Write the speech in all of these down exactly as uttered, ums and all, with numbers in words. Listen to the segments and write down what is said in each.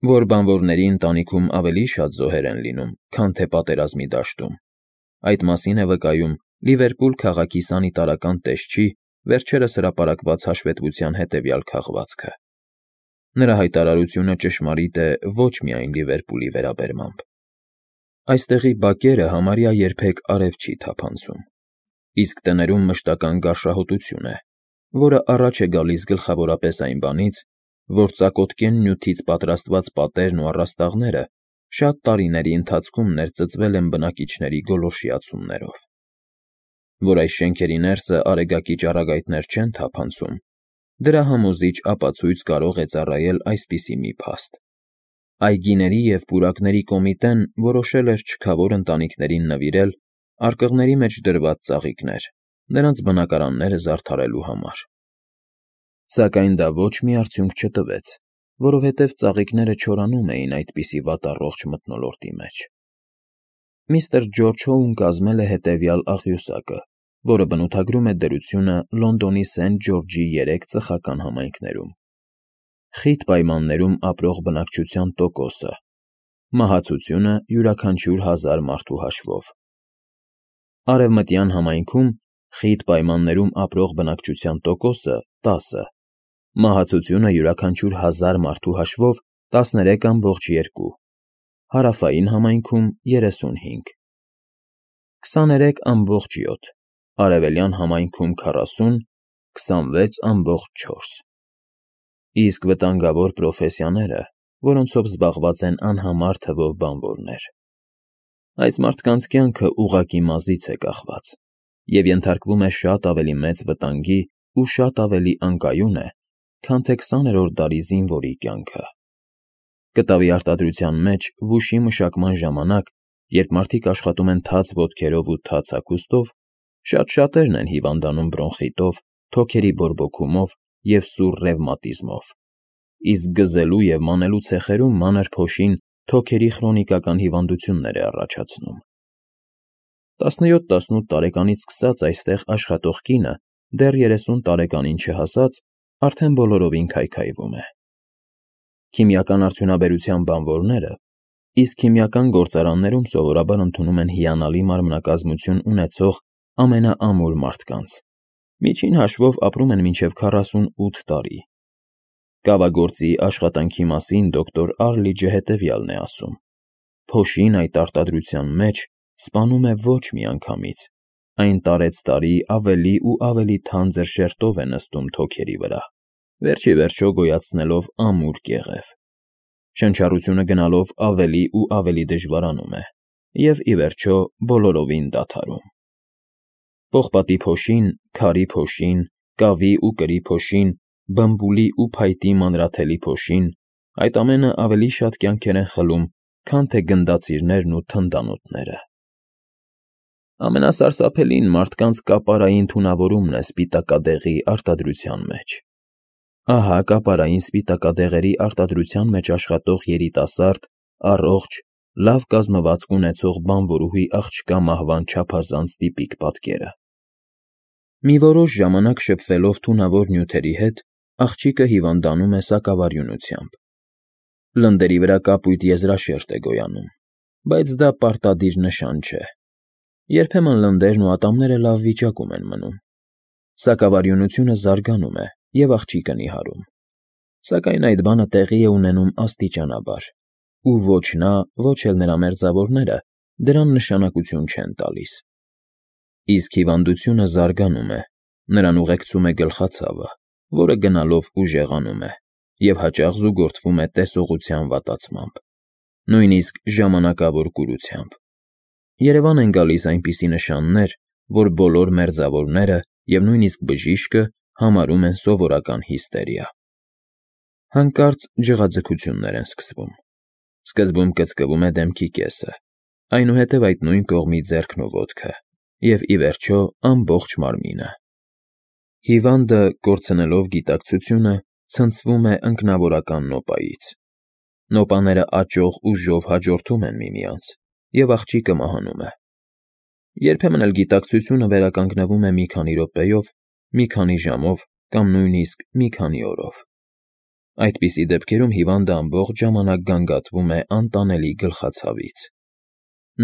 որ բանվորների ընտանիքում ավելի շատ զոհեր են լինում, քան թե պատերազմի դաշտում. այդ մասին է վկայում Լիվերպուլ քաղաքի սանիտարական տեսչի վերջերս հրապարակված հաշվետվության հետևյալ քաղվածքը. Նրա հայտարարությունը ճշմարիտ է ոչ միայն Լիվերպուլի վերաբերմամբ. Այստեղի բակերը համարյա երբեք արև չի թափանցում, իսկ տներում մշտական գարշահոտություն է, որը առաջ է գալիս գլխավորապես այն բանից, որ ծակոտկեն նյութից պատրաստված պատերն ու առաստաղները շատ տարիների ընթացքում ներծծվել են բնակիչների գոլորշիացումներով։ Որ այս շենքերի ներսը արեգակի ճառագայթներ չեն թափանցում, դրա համոզիչ ապացույց կարող է ծառայել այսպիսի մի փաստ. այգիների և պուրակների կոմիտեն որոշել էր չքավոր ընտանիքներին նվիրել արկղների մեջ դրված ծաղիկներ, նրանց բնակարանները զարդարելու համար։ Սակայն դա ոչ մի արդյունք չտվեց, որովհետև ծաղիկները չորանում էին այդպիսի վատառողջ մթնոլորտի մեջ։ Միստր Ջորջ Հոուն կազմել է հետևյալ աղյուսակը, որը բնութագրում է դրությունը Լոնդոնի Սենթ Ջորջի երեք ծխական համայնքներում. խիտ պայմաններում ապրող բնակչության տոկոսը, մահացությունը յուրաքանչյուր հազար մարդու հաշվով։ Արևմտյան համայնքում խիտ պայմաններում ապրող բնակչության տոկոսը տասը, մահացությունը յուրաքանչյուր հազար մարդու հաշվով տասներեք ամբողջ երկու, հարավային համայնքում երեսունհինգ, քսաներեք ամբողջ յոթ, արևելյան համայնքում քառասուն, քսանվեց ամբողջ չորս։ Իսկ վտանգավոր պրոֆեսիաները, որոնցով զբաղված են անհամար թվով բանվորներ։ Այս մարդկանց կյանքը ուղղակի մազից է կախված և ենթարկվում է շատ ավելի մեծ վտանգի ու շատ ավելի անկայուն է, քան թե քսաներորդ դարի զինվորի կյանքը։ Կտավի արտադրության մեջ վուշի մշակման ժամանակ, երբ մարդիկ աշխատում են թաց ոտքերով ու թաց հագուստով, շատ շատերն են հիվանդանում բրոնխիտով, թոքերի բորբոքումով և սուր ռևմատիզմով, իսկ գզելու և մանելու ցեխերում մանր փոշին թոքերի քրոնիկական հիվանդություններ է առաջացնում։ տասնյոթ տասնութ տարեկանից սկսած այստեղ աշխատող կինը դեռ երեսուն տարեկանին չհասած արդեն բոլորովին քայքայվում է։ Քիմիական արդյունաբերության բանվորները, իսկ քիմիական գործարաններում սովորաբար ընդունում են հիանալի մարմնակազմություն ունեցող ամենաամուր մարդկանց, միջին հաշվով ապրում են մինչև քառասունութ տարի։ Կավագործի աշխատանքի մասին դոկտոր Արլիջը հետևյալն է ասում. փոշին այդ արտադրության մեջ սպանում է ոչ միանգամից, այն տարեցտարի ավելի ու ավելի թանձր շերտով է նստում թոքերի վրա, վերջ ի վերջո գոյացնելով ամուր կեղև։ Շնչառությունը գնալով ավելի ու ավելի դժվարանում է և, ի վերջո, բոլորովին դադարում։ Պողպատի փոշին, քարի փոշին, կավի ու կրի փոշին, բմբուլի ու փայտի մանրաթելի փոշին, այդ ամենը ավելի շատ կյանքեր են խլում, քան թե գնդացիրներն ու թնդանոթները։ Ամենասարսափելին մարդկանց կապարային թունավորումն է սպիտակադեղի արտադրության մեջ։ Ահա կապարային սպիտակադեղերի արտադրության մեջ աշխատող երիտասարդ, առողջ, լավ կազմվածք ունեցող բանվորուհի աղջկա մահվան չափազանց տիպիկ պատկերը։ Մի որոշ ժամանակ շփվելով թունավոր նյութերի հետ, աղջիկը հիվանդանում է սակավարյունությամբ։ Լնդերի վրա կապույտ եզրաշերտ է գոյանում, բայց դա պարտադիր նշան չէ։ Երբեմն լնդերն ու ատամները լավ վիճակում են մնում։ Սակավարյունությունը զարգանում է և աղջիկը նիհարում։ Սակայն այդ բանը տեղի է ունենում աստիճանաբար, ու ոչ նա, ոչ էլ նրա մերձավորները դրան նշանակություն չեն տալիս։ Իսկ հիվանդությունը զարգանում է, նրան ուղեկցում է գլխացավը, որը գնալով ուժեղանում է և հաճախ զուգորդվում է տեսողության վատացմամբ, նույնիսկ ժամանակավոր կուրությամբ։ Երևան են գալիս այնպիսի նշաններ, որ բոլոր մերձավորները և նույնիսկ բժիշկը համարում են սովորական հիստերիա։ Հանկարծ ջղաձգություններ են սկսվում։ Սկզբում կծկվում է դեմքի կեսը, այնուհետև այդ նույն կողմի ձեռքն ու ոտքը և, ի վերջո, ամբողջ մարմինը։ Հիվանդը, կորցնելով գիտակցությունը, ցնցվում է ընկնավորական նոպայից։ Նոպաները աճող ուժով հաջորդում են միմյանց, և աղջիկը մահանում է։ Երբեմն էլ գիտակցությունը վերականգնվում է մի քանի րոպեով, մի քանի ժամով կամ նույնիսկ մի քանի օրով։ Այդպիսի դեպքերում հիվանդը ամբողջ ժամանակ գանգատվում է անտանելի գլխացավից։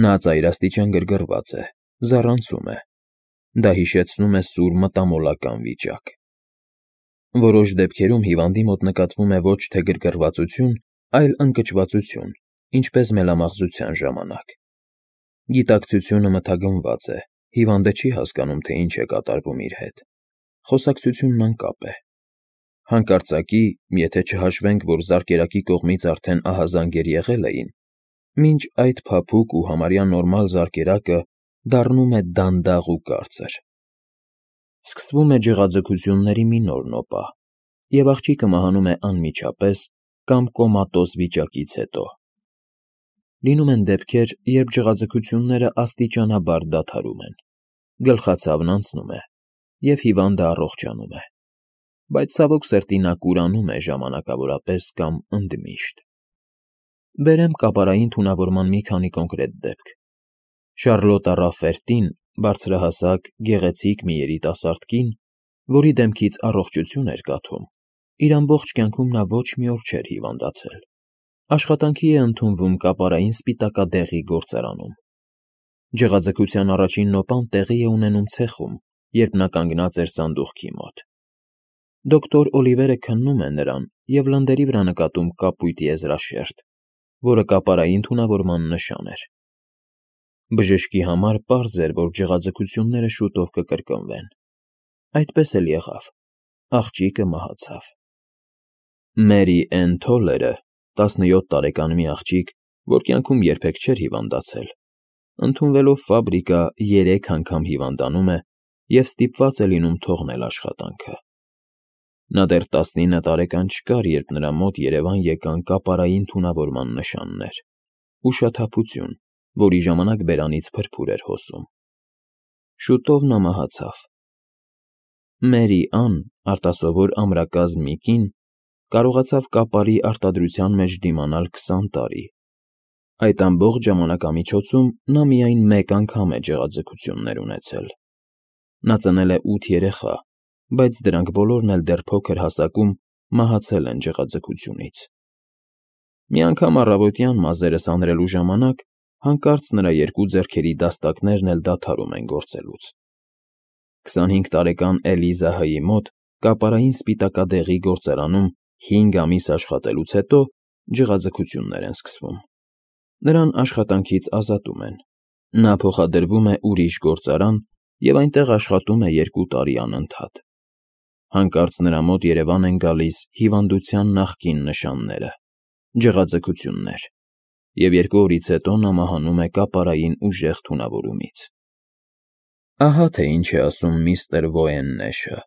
Նա ծայրաստիճան գրգռված է, զառանցում է։ Դա հիշեցնում է սուր մտամոլական վիճակ։ Որոշ դեպքերում հիվանդի մոտ նկատվում է ոչ թե գրգռվածություն, այլ ընկճվածություն, ինչպես մելամաղձության ժամանակ։ Գիտակցությունը մթագնված է, հիվանդը չի հասկանում, թե ինչ է կատարվում իր հետ։ Խոսակցությունն անկապ է։ Հանկարծակի, եթե չհաշվենք, որ զարկերակի կողմից արդեն ահազանգեր եղել էին, մինչ այդ փափուկ ու համարյա նորմալ զարկերակը դառնում է դանդաղ ու կարծր։ Սկսվում է ջղաձգությունների մի նոր նոպա, և աղջիկը մահանում է անմիջապես կամ կոմատոզ վիճակից հետո։ Լինում են դեպքեր, երբ ջղաձգությունները աստիճանաբար դադարում են, գլխացավն անցնում է, և հիվանդը առողջանում է, բայց ցավոք սրտի նա կուրանում է ժամանակավորապես կամ ընդմիշտ։ Բերեմ կապարային թունավորման մի քանի կոնկրետ դեպք։ Շառլոտա Ռաֆֆերտին, բարձրահասակ, գեղեցիկ մի երիտասարդ կին, որի դեմքից առողջություն էր կաթում, իր ամբողջ կյանքում նա ոչ մի օր չէր հիվանդացել։ Աշխատանքի է ընդունվում կապարային սպիտակադեղի գործարանում։ Ջղաձգության առաջին նոպան տեղի է ունենում ցեխում, երբ նա կանգնած էր սանդուղքի մոտ։ Դոկտոր Օլիվերը քննում է նրան և լնդերի վրա նկատում կապույտ եզրաշերտ, որը կապարային թունավորման նշան էր։ Բժշկի համար պարզ էր, որ ջղաձգությունները շուտով կկրկնվեն։ Այդպես էլ եղավ։ Աղջիկը մահացավ։ Մերի Էն Թոլերը, տասնյոթ տարեկան մի աղջիկ, որ կյանքում երբեք չէր հիվանդացել, ընդունվելով ֆաբրիկա երեք անգամ հիվանդանում է և ստիպված է լինում թողնել աշխատանքը։ Նա դեռ տասնինը տարեկան չկար, երբ նրա մոտ երևան եկան կապարային թունավորման նշաններ, ուշաթափություն, որի ժամանակ բերանից փրփուր էր հոսում։ Շուտով նա մահացավ։ Մերի Ան, արտասովոր ամրակազմ մի կին, կարողացավ կապարի արտադրության մեջ դիմանալ քսան տարի։ Այդ ամբողջ ժամանակամիջոցում նա միայն մեկ անգամ է ջղաձգություններ ունեցել։ Նա ծնել է ութ երեխա, բայց դրանք բոլորն էլ դեռ փոքր հասակում մահացել են ջղաձգությունից։ Մի անգամ առավոտյան մազերը սանրելու ժամանակ հանկարծ նրա երկու ձեռքերի դաստակներն էլ դադարում են գործելուց։ քսանհինգ տարեկան Էլիզա Հ-ի մոտ կապարային սպիտակադեղի գործարանում հինգ ամիս աշխատելուց հետո ջղաձգություններ են սկսվում։ Նրան աշխատանքից ազատում են։ Նա փոխադրվում է ուրիշ գործարան և այնտեղ աշխատում է երկու տարի անընդհատ։ Հանկարծ նրա մոտ երևան են գալիս հիվանդության նախկին նշանները՝ ջղաձգություններ, և երկու օրից հետո նա մահանում է կապարային ուժեղ թունավորումից։ Ահա թե ինչ է ասում միստր Ոեննեշը։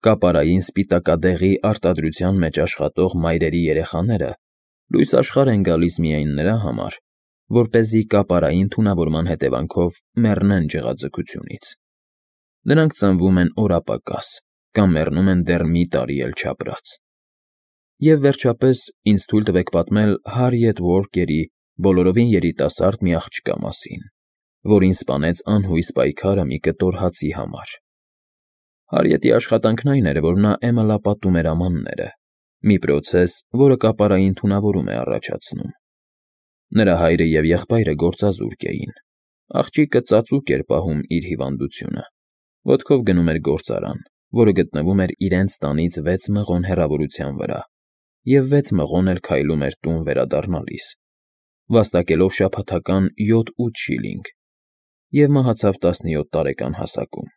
Կապարային սպիտակադեղի արտադրության մեջ աշխատող մայրերի երեխաները լույս աշխարհ են գալիս միայն նրա համար, որպեսզի կապարային թունավորման հետևանքով մեռնեն ջղաձգությունից։ Նրանք ծնվում են օրապակաս կամ մեռնում են դեռ մի տարի էլ չապրած։ Եվ վերջապես ինձ թույլ տվեք պատմել Հարիեթ Ուորկերի բոլորովին երիտասարդ մի աղջկա մասին, որին սպանեց անհույս պայքարը մի կտոր հացի համար։ Հարիետի աշխատանքն այն էր, որ նա էմալապատում էր ամանները, մի պրոցես, որը կապարային թունավորում է առաջացնում։ Նրա հայրը և եղբայրը գործազուրկ էին։ Աղջիկը ծածուկ էր պահում իր հիվանդությունը, ոտքով գնում էր գործարան, որը գտնվում էր իրենց տանից վեց մղոն հեռավորության վրա, և վեց մղոն էլ քայլում էր տուն վերադառնալիս, վաստակելով շաբաթական յոթ֊ութ շիլինգ, և մահացավ տասնյոթ տարեկան հասակում։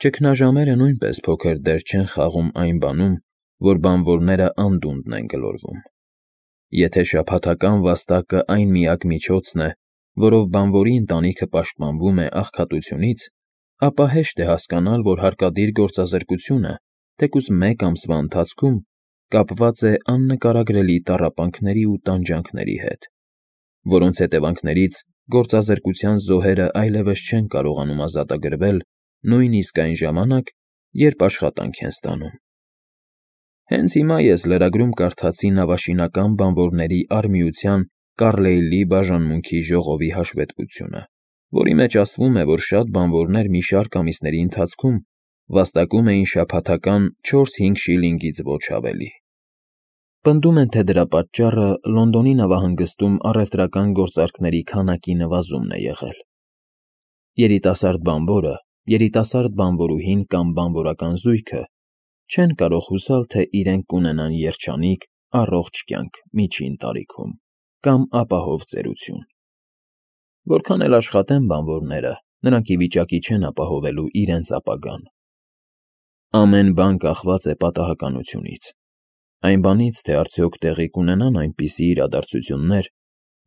Ճգնաժամերը նույնպես փոքր դեր չեն խաղում այն բանում, որ բանվորները անդունդն են գլորվում։ Եթե շաբաթական վաստակը այն միակ միջոցն է, որով բանվորի ընտանիքը պաշտպանվում է աղքատությունից, ապա հեշտ է հասկանալ, որ հարկադիր գործազրկությունը, թեկուզ մեկ ամսվա ընթացքում, կապված է աննկարագրելի տառապանքների ու տանջանքների հետ, որոնց հետևանքներից գործազրկության զոհերը այլևս չեն կարողանում ազատագրվել նույնիսկ այն ժամանակ, երբ աշխատանք են ստանում։ Հենց հիմա ես լրագրում կարդացի նավաշինական բանվորների արհմիության Կառլեյլի բաժանմունքի ժողովի հաշվետվությունը, որի մեջ ասվում է, որ շատ բանվորներ մի շարք ամիսների ընթացքում Վաստակում էին շաբաթական չորս֊հինգ շիլինգից ոչ ավելի։ Պնդում են, թե դրա պատճառը Լոնդոնի նավահանգստում առևտրական գործարքների քանակի նվազումն է եղել։ Երիտասարդ բանվորը, երիտասարդ բանվորուհին կամ բանվորական զույգը չեն կարող հուսալ, թե իրենք կունենան երջանիկ, առողջ կյանք միջին տարիքում կամ ապահով ծերություն։ Որքան էլ աշխատեն բանվորները, նրանք ի վիճակի չեն ապահովելու իրենց ապագան։ Ամեն բան կախված է պատահականությունից, այն բանից, թե արդյոք տեղի կունենան այնպիսի իրադարձություններ,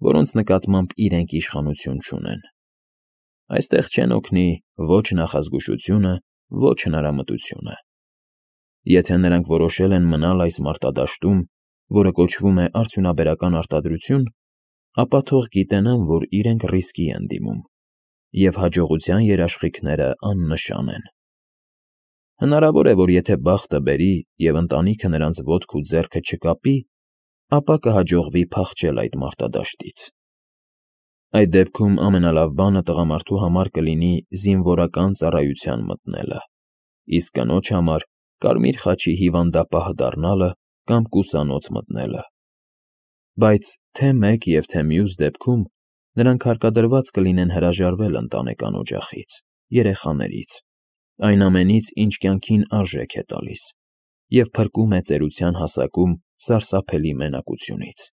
որոնց նկատմամբ իրենք իշխանություն չունեն։ Այստեղ չեն օգնի ոչ նախազգուշությունը, ոչ հնարամտությունը։ Եթե նրանք որոշել են մնալ այս մարտադաշտում, որը կոչվում է արդյունաբերական արտադրություն, ապա թող գիտենան, որ իրենք ռիսկի են դիմում, և հաջողության երաշխիքները աննշան են։ Հնարավոր է, որ եթե բախտը բերի և ընտանիքը նրանց ոտք ու ձեռքը չկապի, ապա կհաջողվի փախչել այդ մարտադաշտից։ Այդ դեպքում ամենալավ բանը տղամարդու համար կլինի զինվորական ծառայության մտնելը, իսկ կնոջ համար կարմիր խաչի հիվանդապահ դառնալը կամ կուսանոց մտնելը։ Բայց թե՛ մեկ և թե՛ մյուս դեպքում նրանք հարկադրված կլինեն հրաժարվել ընտանեկան օջախից, երեխաներից, այն ամենից, ինչ կյանքին արժեք է տալիս և փրկում է ծերության հասակում սարսափելի մենակությունից։